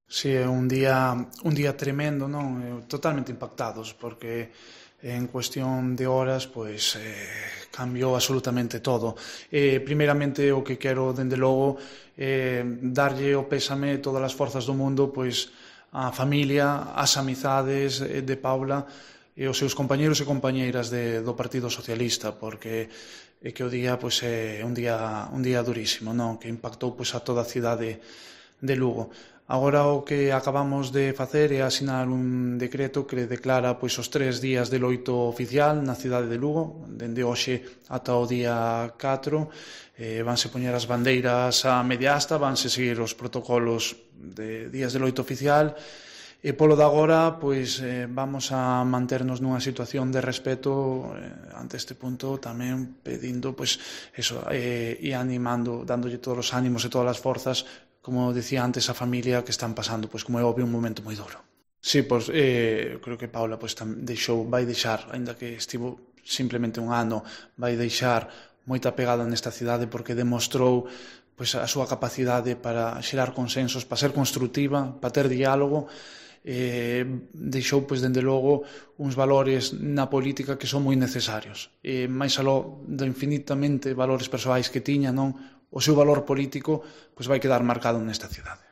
Si, é un día tremendo, non? Totalmente impactados, porque en cuestión de horas, pois, cambiou absolutamente todo. Primeiramente, o que quero, dende logo, darlle o pésame todas as forzas do mundo, pois, á familia, ás amizades de Paula e os seus compañeiros e compañeiras do Partido Socialista, porque é que o día, pois, é un día durísimo, non? Que impactou, pois, a toda a cidade de Lugo. Agora o que acabamos de facer é asinar un decreto que declara pois os 3 días de loito oficial na cidade de Lugo, dende hoxe ata o día 4. Vanse poñer as bandeiras a media asta, vanse seguir os protocolos de días de loito oficial, e polo de agora pois vamos a manternos nunha situación de respeto ante este punto, tamén pedindo pois eso, e animando, dándolle todos os ánimos e todas as forzas, como decía antes, a familia que están pasando, pois como é obvio, un momento moi duro. Sí, pois creo que Paula pois vai deixar, aínda que estivo simplemente un ano, vai deixar moita pegada nesta cidade, porque demostrou pois a súa capacidade para xerar consensos, para ser construtiva, para ter diálogo. Deixou, pois, dende logo, uns valores na política que son moi necesarios. Máis aló do infinitamente valores persoais que tiña, non? O seu valor político pois vai quedar marcado nesta cidade.